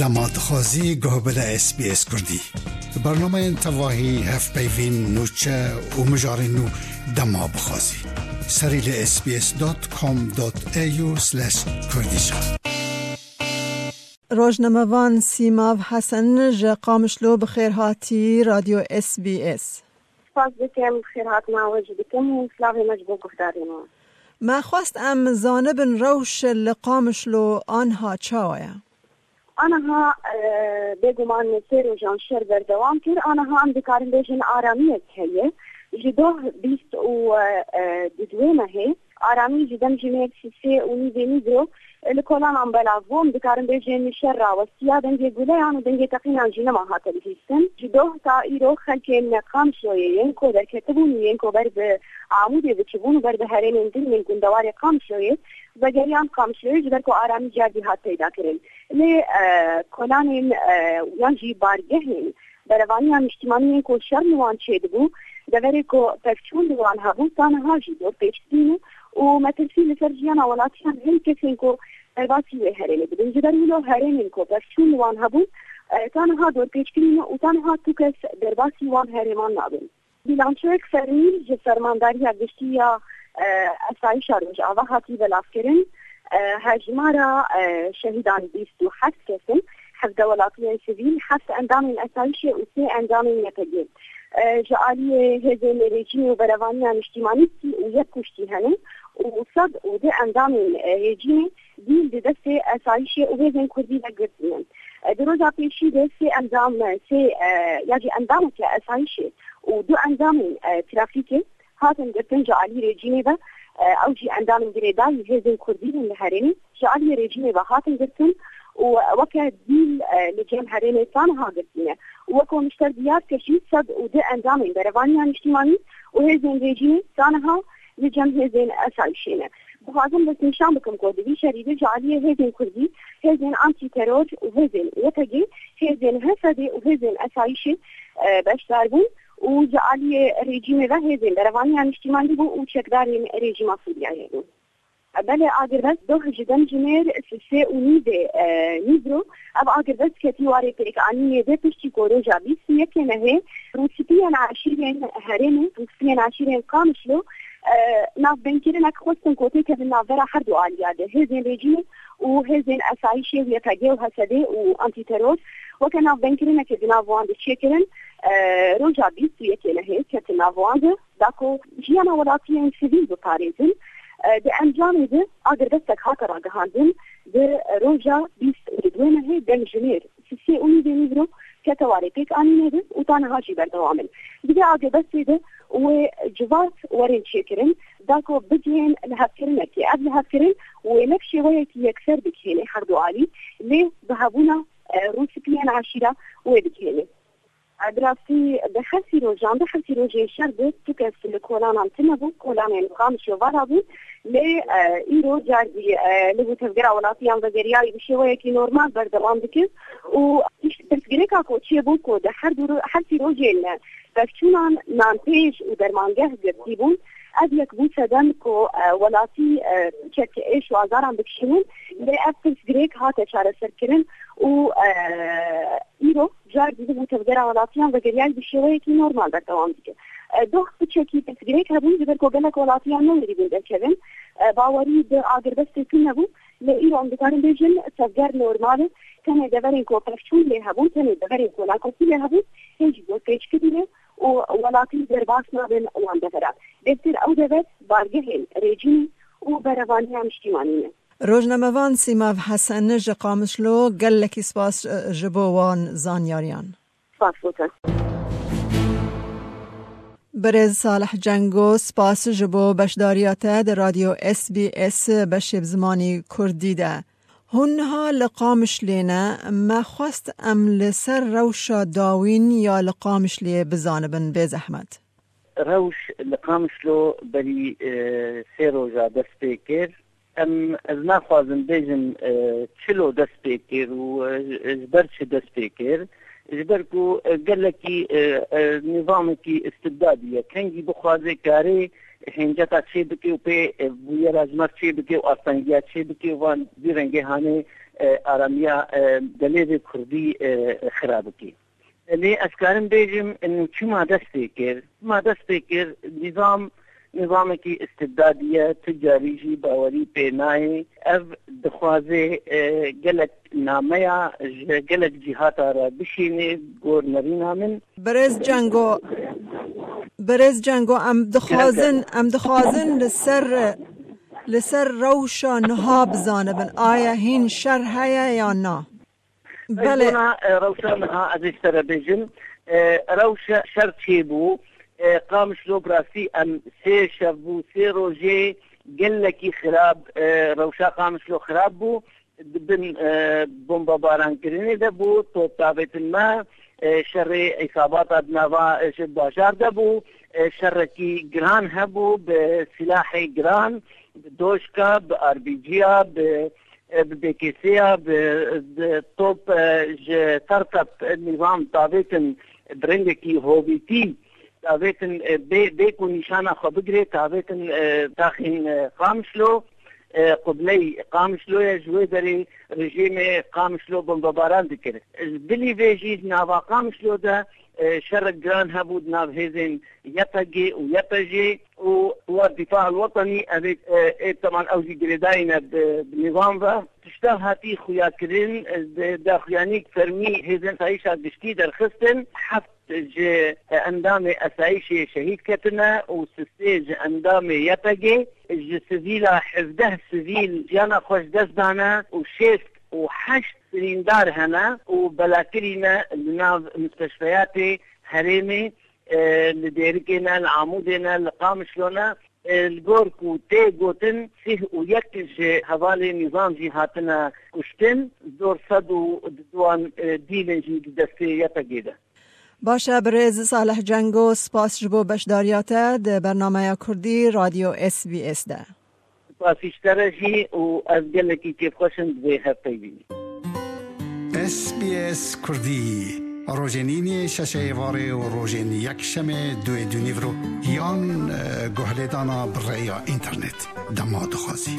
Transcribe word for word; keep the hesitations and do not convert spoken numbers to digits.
Dema dixwazî guh bide S B S Kurdî. Bernameyên tevahî, hevpeyvîn, nûçe û mijarên nû dema bixwazî. Serî li S B S dot com dot A U slash Kurdish. Rojnamevan Sîmav Hesen ji Qamişlo bi xêr hatî Radyo S B S. Spas dikim, xêrhatina we jî dikim û silavê me ji bo guhdarên we. Me xwest em zanibin rewş li Qamişlo anha çawa ye? Aniha, e, bêguman sê rojan şer berdewam kir. Aniha em dikarin bêjin aramiyek heye. Ji doh bîst û, e, e, di duwê mehê aramî ji dem ji mêr sisê û nîvê nîvro, e, li kolanan belav bû. Em dikarin bêjin şer rawestiya, dengê guleyan û dengê teqînan jî nema hate bihîstin. Ji doh ta îro xelkên Qamişloyê yên ku derketibûn û yên ku ber bi Amûdê diçibûn û ber bi herêmên din yên gundewarê Qamişloyê vegeriyan Qamişloyê, ji ber ku aramî cardî hat peyda kirin. Lê, e, kolanên, e, yan jî bargehên berevaniya niştimanî yên ku şer li wan çêdibû, deverê ku pevçûn li wan hebû, ta niha jî dorpêç kirîne û metirsî li ser jiyana welatiyan hên kesên ku derbasî wê herêmê dibin. Ji ber wilo herêmên ku pevçûn li wan hebûn, e, ta niha dorpêç kirîne û ta niha tu kes derbasî wan herêman nabin. Bîlançoyek fermî ji Fermandariya Giştî ya, e, Esayîşa Rojava hatî belavkirin. E, hejmara, e, şehîdan bîst û heft kes in, hevdeh welatiyên sivîl, heft endamên esayîşê û sê endamên Y P G. E, ji aliyê hêzên rejîmê û berevaniya niştimanî sî û yek kuştî hene û sed û du endamên, e, rejîmê dîl di destê esayîşê û hêzên kurdî de girtî ne. E, di roja pêşî de sê endam, e, sê, e, ya jî endameke esayîşê û du endamên, e, trafîkê hatin girtin ji alî rejîmê ve. E, ew jî endamên girêdayî hêzên kurdî in li herêmê, ji alî rejîmê ve hatin girtin û weke dîl, e, li cem herêmê ta niha girtî ne. Û weko min ji te diyar kir jî, sed û du endamên berevaniya niştimanî û hêzên rejîmê ta niha li cem hêzên esayîşê ne. Dixwazim destnîşan bikim ku di vî şerî de ji aliyê hêzên kurdî, hêzên antîteror û hêzên Y P G, hêzên H S D û hêzên esayîşê, e, beşdar bûn û ji aliyê rejîmê ve hêzên berevaniya niştimanî bû û çekdarên rejîma Sûriyeyê bûn. Belê, agirbest doh ji dem ji mêr sisê û nîvê, e, nîvro, ev agirbest ketî warê pêkanînê de piştî ku roja bîst û yekê mehê rûspiyên eşîrên herêmê, rûspiyên eşîrên Qamişlo, e, navbeynkirinek xwestin ku têkevin navbera her du aliya de, hêzên rejîmê û hêzên esayîşê Y P G û H S D û antîteror, weke navbeynkirinek di nav wan de çêkirin, e, roja bîst û yekê mehê ketin nav wan de, da ku jiyana welatiyên sivîl biparêzin. E, di encamê de agirbestek hate ragihandin, di roja bîst û duê mehê dem ji mêr sisê û nîvê nîvro kete warê pêkanînê de û ta niha jî berdewam in. Di vê agirbestê de wê civat werin çêkirin, da ku bigihên lihevkirinekê. Ev lihevkirin wê ne bi şêweyekî yekser bigihêne her du alî, lê bi hebûna, e, rûspiyên eşîra wê bigihêne. Bi rastî, di her sî rojan de, her sî rojên şer de tu kes li kolanan tune bû, kolanên Qamişlo vala bûn. Lê, e, îro cardî, e, li bo tevgera welatiyan vegeriyayî bi şêweyekî normal berdewam dike û tişt pirsgirêka ku çêbû ku di her du ro-, her sî rojên pevçûnan nanpêj û dermangeh girtî bûn, ev yek bû sedem ku, e, welatî, e, piçek êş û azaran bikişînin. Lê ev pirsgirêk hate çareserkirin û, e, îro cardî li bo tevgera welatiyan vegeriyayî bi şêweyekî normal berdewam dike. E, doh piçekî pirsgirêk hebûn, ji ber ku gelek welatiyan newerîbûn derkevin. E, bawerî bi agirbestê tune bû, lê îro em dikarin bêjin tevger normal e. Tenê deverên ku pevçûn lê hebûn, tenê deverên ku nakokî lê hebûn, hê jî dorpêçkirî ne û welatî derbas nabin wan deveran. Bêhtir ew dever bargehên rejîmê û berevaniya niştimanî ne. Rojnamevan Sîmav Hesen ji Qamişlo, gelekî spas, e, ji bo wan zanyariyan. Spas bo te. Birêz Salih Cengo, spas ji bo beşdariya te di Radyo S B S beşê bi zimanî kurdî de. Hûn niha li Qamişlê ne, me xwest em li ser rewşa dawîn ya li Qamişlê bizanibin, bê zehmet. Rewş li Qamişlo berî, e, sê roja dest pê kir. Em, ez naxwazim bêjim, e, çilo dest pê kir û, e, ji ber çi dest pê kir. Ji ber ku, e, gelekî, e, e, nîzamekî istibdadî ye. Kengî bixwaze karê hênceta çê bike û pê, e, bûyera ji me çê bike û astengiya çê bike û van vî rengê hanê, e, aramiya, e, gelê vê Kurdî, e, xira bikî. Lê ez karim bêjim, inu çima dest pê kir? Çima dest pê kir? Nîzam, nîzamekî istibdadî ye, tu carî jî bawerî pê nayê. Ev dixwaze, e, gelek nameya ji gelek cîhata re bişînê, gor nerîna min. Birêz Cengo, Birêz Cengo, em dixwazin, em dixwazin li ser, li ser rewşa niha bizanibin. Aya hîn şer heye ya na? Belê. Bona, e, rewşa niha ez ê ji te re bêjim. E, rewşa şer çêbû. E, Qamişlo bi rastî em sê şev bû, sê rojê gelekî xirab, e, rewşa Qamişlo xirab bû. Di bin, e, bombabarankirinê de bû, top tavêtin me, e, şerê îsabata di nava, e, ji bajar de bû, e, şerekî giran hebû, bi silahê giran, bi doşka, bi R P G ya, bi, e, bi B K S ya, bi, bi top, e, ji tertep nîzam tavêtin bi rengekî hovîtî, tavêtin, e, bê, bê ku nîşana xwe bigirê, tavêtin, e, taxên, e, Qamişlo, e, qibley Qamişlo ye, ji wê derê rejîmê Qamişlo bombebaran dikir. Ji bilî vê jî di nava Qamişlo de, e, şerek giran hebû di nav hêzên Y P G û Y P J û Quwat Difa El Wetenî, ev ê, e, ê teman ew jî girêdayî ne bi, bi nîzam ve. Tişta hatî xuyakirin, e, di daxuyanîk fermî hêzên asayîşa giştî derxistin. Heft ji endamê esayîşê şehîd ketine û sisê ji endamê Y P G, ji sivîla hevdeh sivîl jiyana xwe ji dest dane û şêst û heşt birîndar hene û belakirî ne li nav musteshfeyatê herêmê, e, li Dêrikê ne, li Amûdê ne, li Qamişlo ne. E, li gor ku tê gotin, sîh û yek ji hevalên nîzam jî hatine kuştin, zor sed û duduan, e, dîlin jî di destê Y P G de. Baş e, birêz Salih Cengo, spas ji bo beşdariya te di bernameya Kurdî Radyo S B S de. Spasî ji te re jî û ez gelekî kêfxweş im di vê hevpeyvînê. S B S Kurdî, rojên îniyê şeşê êvarê û rojên yekşemê duê dûnîvro yan, e, guhlêdana bi rêya înternet dema dixwazî.